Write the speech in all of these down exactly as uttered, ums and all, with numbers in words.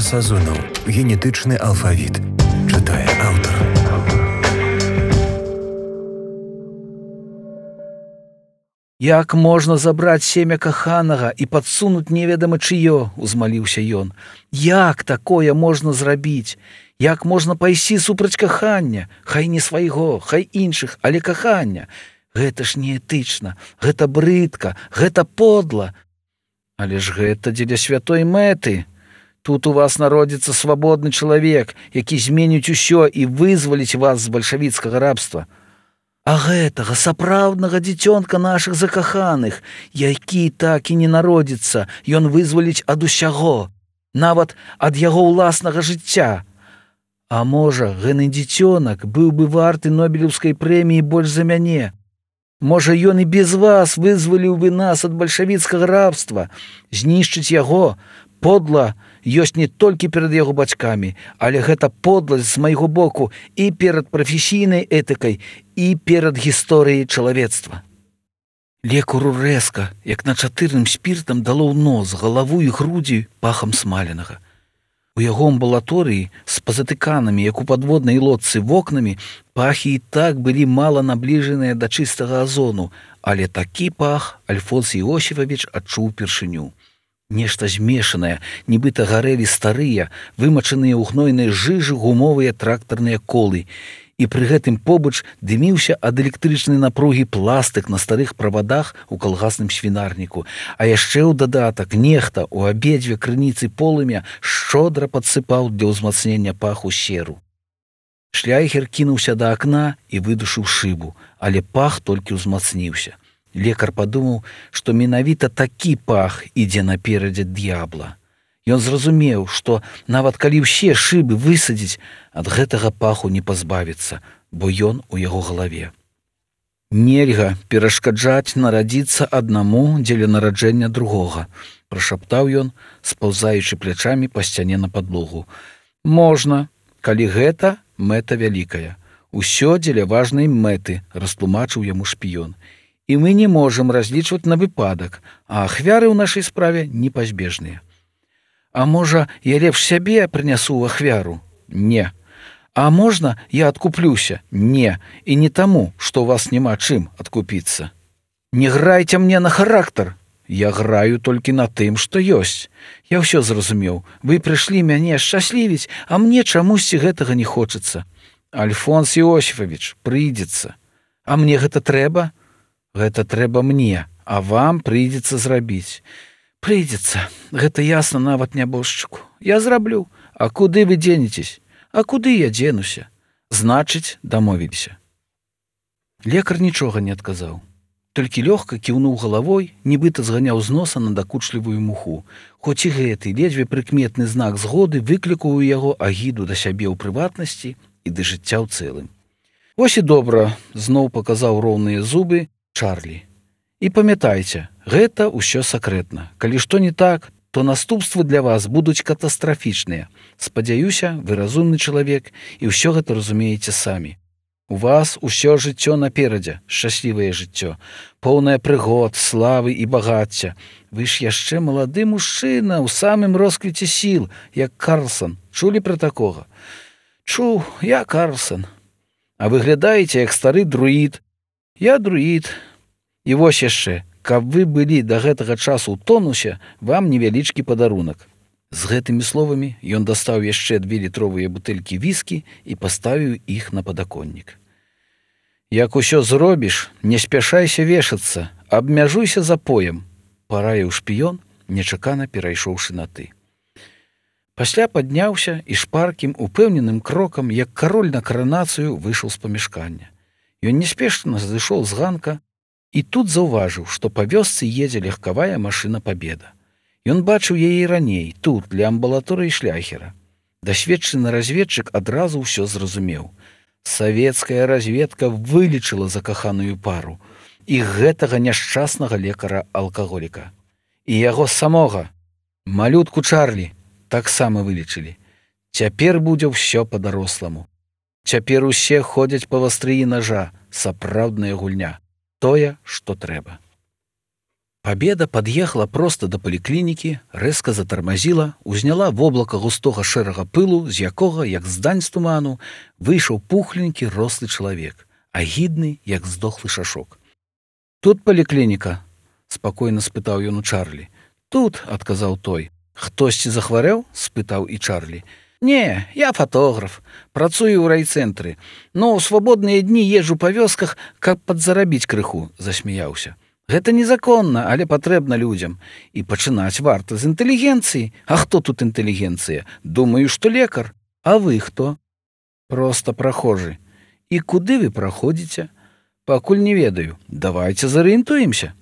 Сазонаў. Генетычны алфавіт. Чытае аўтар. Як можна забраць семя каханага і падсунуць неведама чыё, узмаліўся ён. Як такое можна зрабіць? Як можна пайсці супраць кахання? Хай не свайго, хай іншых, але кахання. Гэта ж неэтычна, гэта брыдка, гэта подла. Але ж гэта дзеля святой мэты. Тут у вас народзіцца свабодны чалавек, які зменіць усё і вызваліць вас з бальшавіцкага рабства. А гэтага сапраўднага дзіцёнка нашых закаханых, які так і не народзіцца, ён вызваліць ад усяго, нават ад яго ўласнага жыцця. А можа, гэны дзіцёнак быў бы варты Нобелеўскай прэміі больш за мяне. Можа, ён і без вас вызваліў бы нас ад бальшавіцкага рабства. Знішчыць яго подла ёсць не толькі перад яго бацькамі, але гэта подласць з майго боку і перад прафесійнай этыкай, і перад гісторыяй чалавецтва. Лекару рэзка, як на чатырным спіртам дало ў нос, галаву і грудзі пахам смаленага. У яго амбулаторыі з пазатыканамі, як у падводнай лодцы вокнамі, пахі і так былі мала набліжаныя да чыстага азону, але такі пах Альфонс Іосіфавіч адчуў упершыню. Нешта змешанае, нібыта гарэлі старыя, вымачаныя ў гнойнай жыжы гумовыя трактарныя колы, і пры гэтым побач дыміўся ад электрычнай напругі пластык на старых правадах у калгасным свінарніку, а яшчэ ў дадатак нехта ў абедзве крыніцы полымя шчодра падсыпаў для ўзмацнення паху серу. Шляйхер кінуўся да акна і выдушыў шыбу, але пах толькі ўзмацніўся. Лекар падумаў, што менавіта такі пах ідзе наперадзе д'ябла. Ён зразумеў, што нават калі ўсе шыбы высадзіць, ад гэтага паху не пазбавіцца, бо ён у яго галаве. Нельга перашкаджаць нарадзіцца аднаму дзеля нараджэння другога, прашаптаў ён, спаўзаючы плячамі па сцяне на падлогу. Можна, калі гэта мэта вялікая. Усё дзеля важнай мэты, растлумачыў яму шпіён. І мы не можам разлічваць на выпадак, а ахвяры ў нашай справе непазбежныя. А можа, я лепш сябе прынясу ў ахвяру? Не. А можна, я адкуплюся? Не. І не таму, што ў вас няма чым адкупіцца. Не грайце мне на характар. Я граю толькі на тым, што ёсць. Я ўсё зразумеў. Вы прыйшлі мяне шчаслівіць, а мне чамусьці гэтага не хочацца. Альфонс Іосіфавіч, прыйдзецца. А мне гэта трэба? Гэта трэба мне, а вам прыйдзецца зрабіць. Прыйдзецца, гэта ясна нават нябожчыку. Я зраблю. А куды вы дзенецесь? А куды я дзенуся? Значыць, дамовіліся. Лекар нічога не адказаў. Толькі лёгка кіўнуў галавой, нібыта зганяў з носа надакучлівую муху. Хоць і гэты ледзьве прыкметны знак згоды выклікаў у яго агіду да сябе ў прыватнасці і да жыцця ў цэлым. Вось і добра, зноў паказаў роўныя зубы Чарлі. І памятайце, гэта ўсё сакрэтна. Калі што не так, то наступствы для вас будуць катастрафічныя. Спадзяюся, вы разумны чалавек і ўсё гэта разумееце самі. У вас усё жыццё наперадзе, шчаслівае жыццё, поўнае прыгод, славы і багацця. Вы ж яшчэ малады мужчына ў самым росквіце сіл, як Карлсон. Чулі пра такога? Чуў, я Карлсон. А выглядаеце, як стары друід. Я друід. І вось яшчэ, каб вы былі да гэтага часу ў тонусе, вам невялічкі падарунак. З гэтымі словамі ён дастаў яшчэ две літровыя бутэлькі віскі і паставіў іх на падаконнік. Як усё зробіш, не спяшайся вешацца, абмяжуйся запоем, параіў шпіён, нечакана перайшоўшы на ты. Пасля падняўся і шпаркім, упэўненым крокам, як кароль на каранацыю, выйшаў з памяшкання. Ён неспешна зайшоў з ганка і тут заўважыў, што па вёсцы едзе легкавая машына Пабеда. Ён бачыў яе раней, тут, для амбулаторыі Шляйхера. Дасведчаны разведчык адразу ўсё зразумеў. Савецкая разведка вылечыла закаханую пару і гэтага няшчаснага лекара-алкаголіка. І яго самога, малютку Чарлі, таксама вылечылі. Цяпер будзе ўсё па-даросламу. Цяпер усе ходзяць па вастрыі нажа, сапраўдная гульня. Тое, што трэба. Пабеда пад'ехала проста да паліклінікі, рэзка затармазіла, узняла воблака густога шэрага пылу, з якога, як з дань з туману, выйшаў пухленькі рослы чалавек, агідны, як здохлы шашок. «Тут паліклініка?» – спакойна спытаў ён у Чарлі. «Тут», – адказаў той. «Хтосьці захварэў?» – спытаў і Чарлі. «Не, я фатограф, працую ў райцэнтры, но ў свабодныя дні езджу па вёсках, каб падзарабіць крыху», – засмяяўся. «Гэта незаконна, але патрэбна людзям. І пачынаць варта з інтэлігенцыі. А хто тут інтэлігенцыя? Думаю, што лекар. А вы хто?» «Проста прахожы». «І куды вы праходзіце?» «Пакуль не ведаю. Давайце зарыентуемся».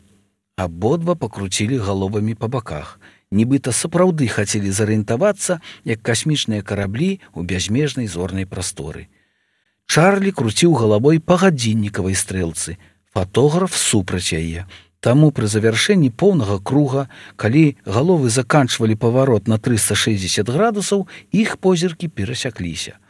Абодва пакруцілі галовамі па баках. Нібыта сапраўды хацелі зарыентавацца, як касмічныя караблі ў бязмежнай зорнай прасторы. Чарлі круціў галавой па гадзіннікавай стрэлцы. Фатограф супраць яе. Таму пры завяршэнні поўнага круга, калі галовы заканчвалі паварот на трыста шэсцьдзесят градусаў, іх позіркі перасякліся.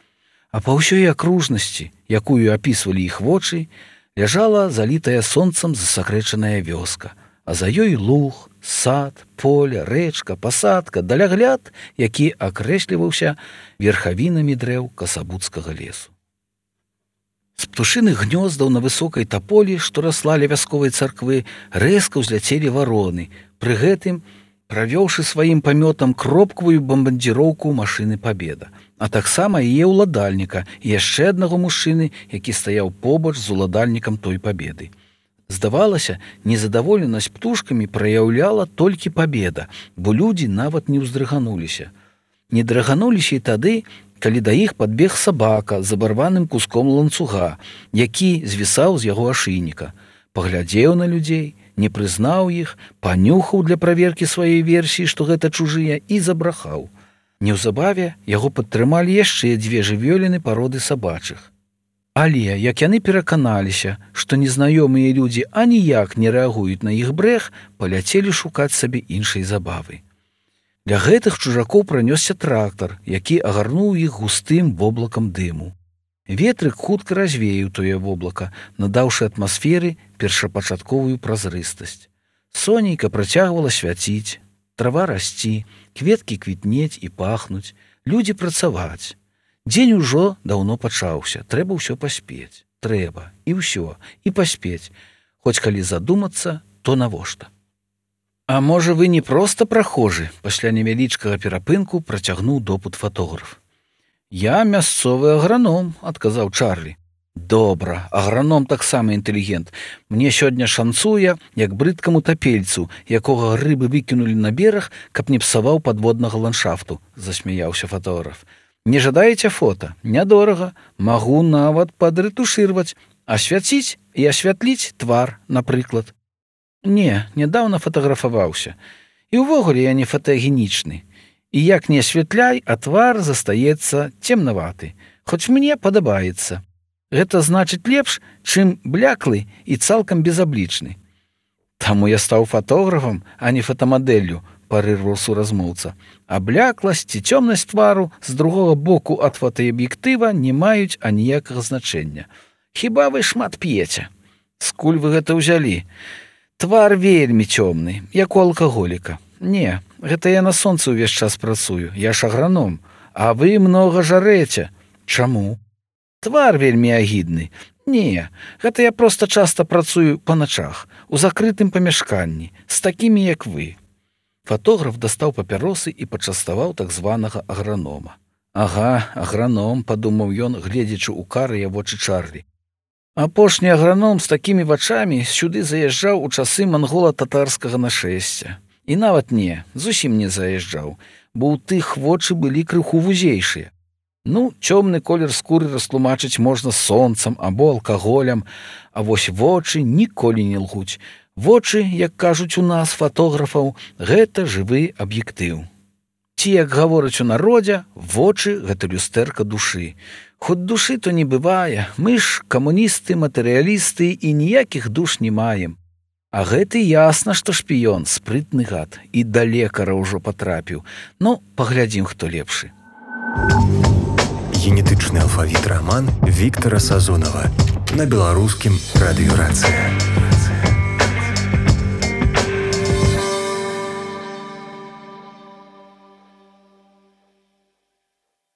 А па ўсёй акружнасці, якую апісвалі іх вочы, ляжала залітая сонцам засакрэчаная вёска, а за ёй луг, сад, поле, рэчка, пасадка, далягляд, які акрэсліваўся верхавінамі дрэў касабуцкага лесу. З птушыных гнёздаў на высокай таполі, што расла ля вясковай царквы, рэзка ўзляцелі вароны, пры гэтым правёўшы сваім памётам кропкавую бамбардзіроўку машыны «Пабеда», а таксама яе ўладальніка і яшчэ аднаго мужчыны, які стаяў побач з уладальнікам той «Пабеды». Здавалася, незадаволенасць птушкамі праяўляла толькі «Пабеда», бо людзі нават не ўздрыгануліся. Не дрыгануліся і тады, калі да іх падбег сабака з абарваным куском ланцуга, які звісаў з яго ашыйніка. Паглядзеў на людзей, не прызнаў іх, панюхаў для праверкі сваёй версіі, што гэта чужыя, і забрахаў. Неўзабаве яго падтрымалі яшчэ дзве жывёліны пароды сабачых. Але, як яны пераканаліся, што незнаёмыя людзі аніяк не рэагуюць на іх брэх, паляцелі шукаць сабе іншай забавы. Для гэтых чужакоў пранёсся трактар, які агарнуў іх густым воблакам дыму. Ветрык хутка развеяў тое воблака, надаўшы атмасферы першапачатковую празрыстасць. Сонейка працягвала свяціць, трава расці, кветкі квітнець і пахнуць, людзі працаваць. Дзень ужо даўно пачаўся, трэба ўсё паспець. Трэба, і ўсё, і паспець. Хоць калі задумацца, то навошта? «А можа, вы не проста прахожы?» – пасля невялічкага перапынку працягнуў допыт фатограф. «Я мясцовы аграном», – адказаў Чарлі. «Добра, аграном таксама інтэлігент. Мне сёння шанцуе, як брыдкаму тапельцу, якога рыбы выкінулі на бераг, каб не псаваў падводнага ландшафту», – засмяяўся фатограф. «Не жадаеце фота? Нядорага. Магу нават падрэтушырваць, асвяціць і асвятліць твар, напрыклад». «Не, нядаўна фатаграфаваўся. І ўвогуле я не фотагенічны. І як не асвятляй, а твар застаецца цемнаваты. Хоць мне падабаецца. Гэта значыць лепш, чым бляклы і цалкам безаблічны». «Таму я стаў фатографам, а не фотамадэллю», – парырваў суразмоўца. «А блякласць ці цёмнасць твару з другога боку ад фотааб'ектыва не маюць аніякага значэння. Хіба вы шмат п'еце? Скуль вы гэта ўзялі? Твар вельмі цёмны, як у алкаголіка. Не, гэта я на сонцы ўвесь час працую, я ж аграном. А вы многа жарэце. Чаму? Твар вельмі агідны. Не, гэта я проста часта працую па начах, у закрытым памяшканні, з такімі, як вы». Фатограф дастаў папяросы і пачаставаў так званага агранома. «Ага, аграном», – падумаў ён, гледзячы ў карыя вочы Чарлі. «Апошні аграном з такімі вачамі сюды заязджаў у часы мангола-татарскага нашэсця. І нават не, зусім не заязджаў, бо ў тых вочы былі крыху вузейшыя. Ну, цёмны колер скуры растлумачыць можна сонцам або алкаголем, а вось вочы ніколі не лгуць. Вочы, як кажуць у нас, фатографаў, гэта жывы аб'ектыў. Ці, як гавораць у народзе, вочы – гэта люстэрка душы. Хоць душы то не бывае, мы ж камуністы, матэрыялісты і ніякіх душ не маем. А гэты ясна, што шпіён, спрытны гад, і да лекара ўжо патрапіў. Ну, паглядзім, хто лепшы». Генетычны алфавіт раман Віктара Сазонава на беларускім радыёрацыя.